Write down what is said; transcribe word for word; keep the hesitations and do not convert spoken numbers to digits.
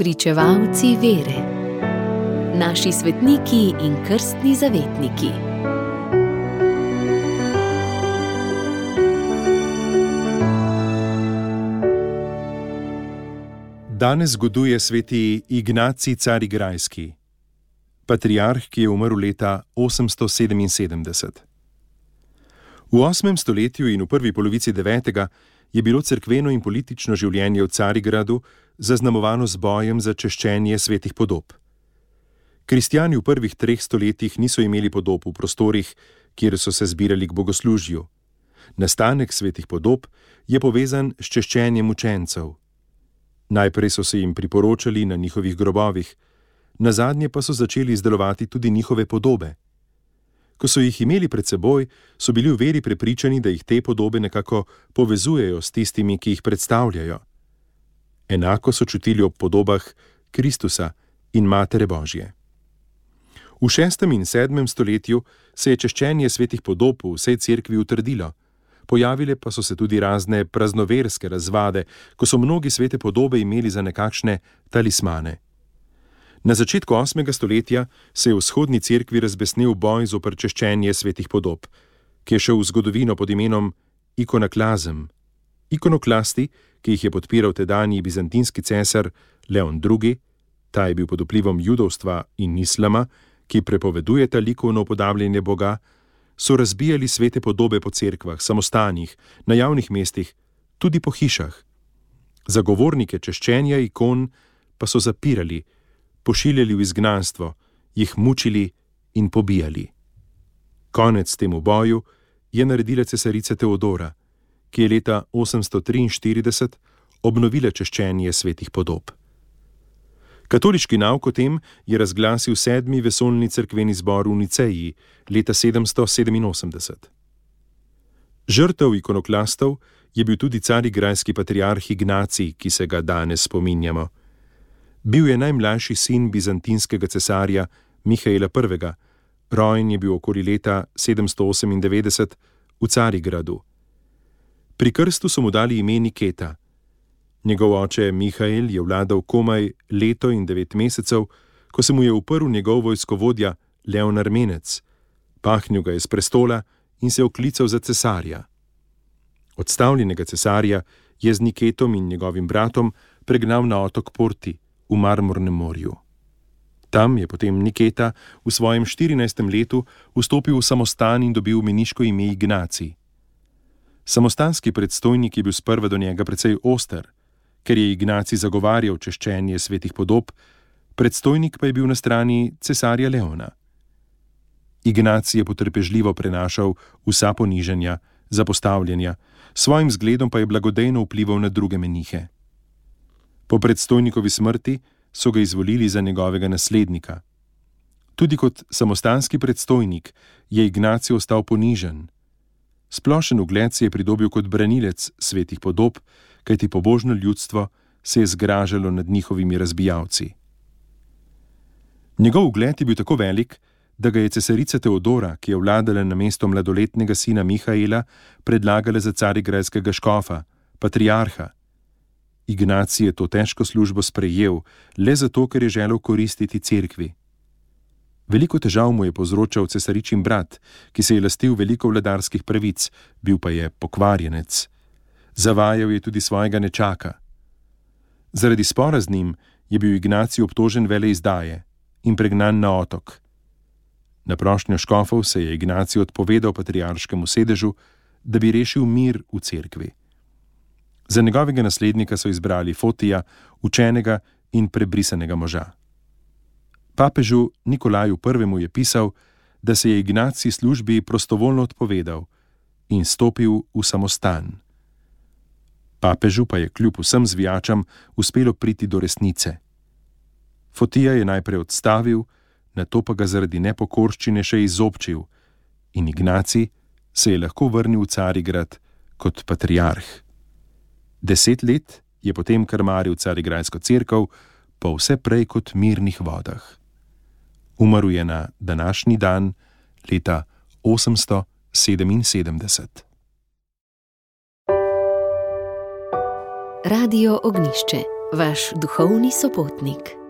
Spričevalci vere. Naši svetniki in krstni zavetniki. Danes zgoduje sveti Ignacij Carigrajski, patriarh, ki je umrl leta osemsto sedeminsedemdeset. V osmem stoletju in v prvi polovici devetega je bilo cerkveno in politično življenje v Carigradu zaznamovano z bojem za češčenje svetih podob. Kristjani v prvih treh stoletjih niso imeli podob v prostorih, kjer so se zbirali k bogoslužju. Nastanek svetih podob je povezan s češčenjem učencev. Najprej so se jim priporočali na njihovih grobovih, nazadnje pa so začeli izdelovati tudi njihove podobe. Ko so jih imeli pred seboj, so bili v veri prepričani, da jih te podobe nekako povezujejo s tistimi, ki jih predstavljajo. Enako so čutili ob podobah Kristusa in Matere Božje. V šestem in sedmem stoletju se je češčenje svetih podob v vsej cerkvi utrdilo. Pojavile pa so se tudi razne praznoverske razvade, ko so mnogi svete podobe imeli za nekakšne talismane. Na začetku osmega stoletja se je v vzhodni cerkvi razbesnel boj zoper češčenje svetih podob, ki je šel v zgodovino pod imenom ikonoklazem. Ikonoklasti, ki jih je podpiral tedanji bizantinski cesar Leon drugi, ta je bil pod vplivom judovstva in islama, ki prepovedujeta likovno upodabljanje Boga, so razbijali svete podobe po cerkvah, samostanih, na javnih mestih, tudi po hišah. Zagovornike češčenja ikon pa so zapirali, pošiljali v izgnanstvo, jih mučili in pobijali. Konec temu boju je naredila cesarica Teodora, ki je leta osemsto triinštirideset obnovila češčenje svetih podob. Katoliški nauk o tem je razglasil sedmi vesoljni cerkveni zbor v Niceji leta sedemsto sedeminosemdeset. Žrtev ikonoklastov je bil tudi carigrajski patriarh Ignacij, ki se ga danes spominjamo. Bil je najmlajši sin bizantinskega cesarja Mihaela prvega, rojen je bil okoli leta sedemsto osemindevetdeset v Carigradu. Pri krstu so mu dali ime Niketa. Njegov oče Mihael je vladal komaj leto in devet mesecev, ko se mu je uprl njegov vojskovodja Leon Armenec, pahnil ga je s prestola in se oklical za cesarja. Odstavljenega cesarja je z Niketom in njegovim bratom pregnal na otok Porti v Marmornem morju. Tam je potem Niketa v svojem štirinajstem letu vstopil v samostan in dobil meniško ime Ignacij. Samostanski predstojnik je bil sprva do njega precej oster, ker je Ignacij zagovarjal češčenje svetih podob, predstojnik pa je bil na strani cesarja Leona. Ignacij je potrpežljivo prenašal vsa ponižanja, zapostavljanja, svojim zgledom pa je blagodejno vplival na druge menihe. Po predstojnikovi smrti so ga izvolili za njegovega naslednika. Tudi kot samostanski predstojnik je Ignacij ostal ponižen. Splošen ugled se je pridobil kot branilec svetih podob, kajti pobožno ljudstvo se je zgražalo nad njihovimi razbijalci. Njegov ugled je bil tako velik, da ga je cesarica Teodora, ki je vladala na mesto mladoletnega sina Mihaela, predlagala za carigrajskega škofa, patriarha. Ignacij je to težko službo sprejel, le zato, ker je želel koristiti cerkvi. Veliko težav mu je povzročal cesaričin brat, ki se je lastil veliko vladarskih pravic, bil pa je pokvarjenec. Zavajal je tudi svojega nečaka. Zaradi spora z njim je bil Ignacij obtožen veleizdaje in pregnan na otok. Na prošnjo škofov se je Ignacij odpovedal patriarškemu sedežu, da bi rešil mir v cerkvi. Za njegovega naslednika so izbrali Fotija, učenega in prebrisanega moža. Papežu Nikolaju prvemu je pisal, da se je Ignacij službi prostovoljno odpovedal in stopil v samostan. Papežu pa je kljub vsem zvijačam uspelo priti do resnice. Fotija je najprej odstavil, nato pa ga zaradi nepokorščine še izobčil in Ignacij se je lahko vrnil v Carigrad kot patriarh. Deset let je potem krmaril carigrajsko cerkev po vse prej kot mirnih vodah. Umrl je na današnji dan leta osemsto sedeminsedemdeset. Radio Ognjišče. vaš duhovni sopotnik.